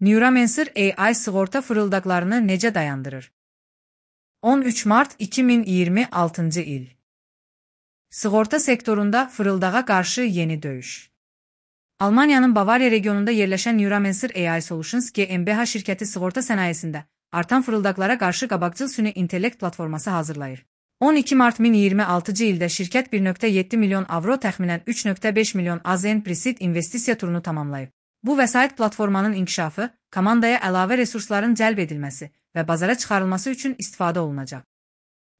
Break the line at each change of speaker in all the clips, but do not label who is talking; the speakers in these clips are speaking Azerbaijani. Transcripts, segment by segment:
Neuromancer AI sığorta fırıldaqlarını necə dayandırır? 13 mart 2026 il. Sığorta sektorunda fırıldağa qarşı yeni döyüş. Almaniyanın Bavariya regionunda yerləşən Neuromancer AI Solutions GmbH şirkəti sığorta sənayesində artan fırıldaqlara qarşı qabaqcıl süni intellekt platforması hazırlayır. 12 mart 2026 ildə şirkət 1.7 milyon avro təxminən 3.5 milyon AZN Presid investisiya turunu tamamlayıb. Bu vəsait platformanın inkişafı, komandaya əlavə resursların cəlb edilməsi və bazara çıxarılması üçün istifadə olunacaq.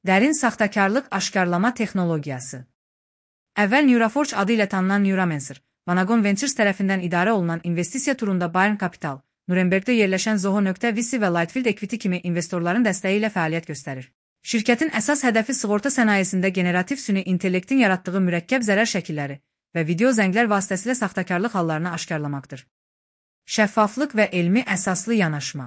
Dərin saxtakarlıq aşkarlama texnologiyası. Əvvəl Neuroforge adı ilə tanınan Neuromancer, Vanagon Ventures tərəfindən idarə olunan investisiya turunda Bayern Capital, Nurembergdə yerləşən Zoho.vc və Lightfield Equity kimi investorların dəstəyi ilə fəaliyyət göstərir. Şirkətin əsas hədəfi sığorta sənayesində generativ süni intellektin yaratdığı mürəkkəb zərər şəkilləri və video zənglər vasitəsilə saxtakarlıq hallarını aşkarlamaqdır. Şəffaflıq və elmi əsaslı yanaşma.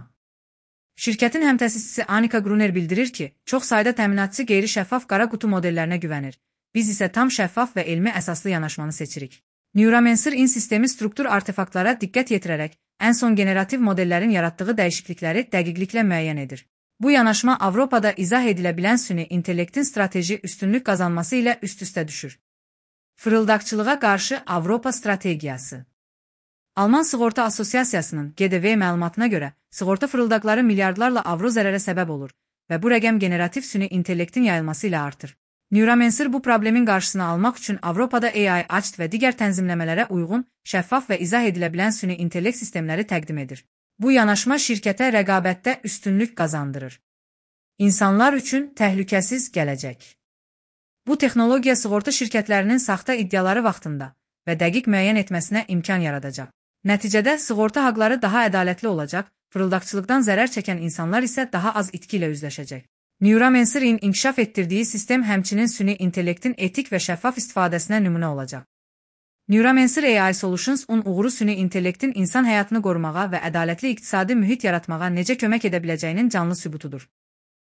Şirkətin həmtəsisçisi Annika Gruner bildirir ki, çox sayda təminatçı qeyri-şəffaf qara qutu modellərinə güvənir. Biz isə tam şəffaf və elmi əsaslı yanaşmanı seçirik. Neuromancer in sistemi struktur artefaktlara diqqət yetirərək, ən son generativ modellərin yaratdığı dəyişiklikləri dəqiqliklə müəyyən edir. Bu yanaşma Avropada izah edilə bilən süni intellektin strateji üstünlük qazanması ilə üst-üstə düşür. Fırıldaqçılığa qarşı Avropa strategiyası. Alman Sığorta Asosiasiyasının GDV məlumatına görə, sığorta fırıldaqları milyardlarla avro zərərə səbəb olur və bu rəqəm generativ süni intellektin yayılması ilə artır. Neuromancer bu problemin qarşısını almaq üçün Avropada AI, ACT və digər tənzimləmələrə uyğun, şəffaf və izah edilə bilən süni intellekt sistemləri təqdim edir. Bu yanaşma şirkətə rəqabətdə üstünlük qazandırır. İnsanlar üçün təhlükəsiz gələcək. Bu texnologiya sığorta şirkətlərinin saxta iddiaları vaxtında və dəqiq müəyyən etməsinə imkan yaradacaq. Nəticədə sığorta haqları daha ədalətli olacaq, fırıldaqçılıqdan zərər çəkən insanlar isə daha az itki ilə üzləşəcək. Neuromancer'in inkişaf etdirdiyi sistem həmçinin süni intellektin etik və şəffaf istifadəsinə nümunə olacaq. Neuromancer AI Solutions-un uğuru süni intellektin insan həyatını qorumağa və ədalətli iqtisadi mühit yaratmağa necə kömək edə biləcəyinin canlı sübutudur.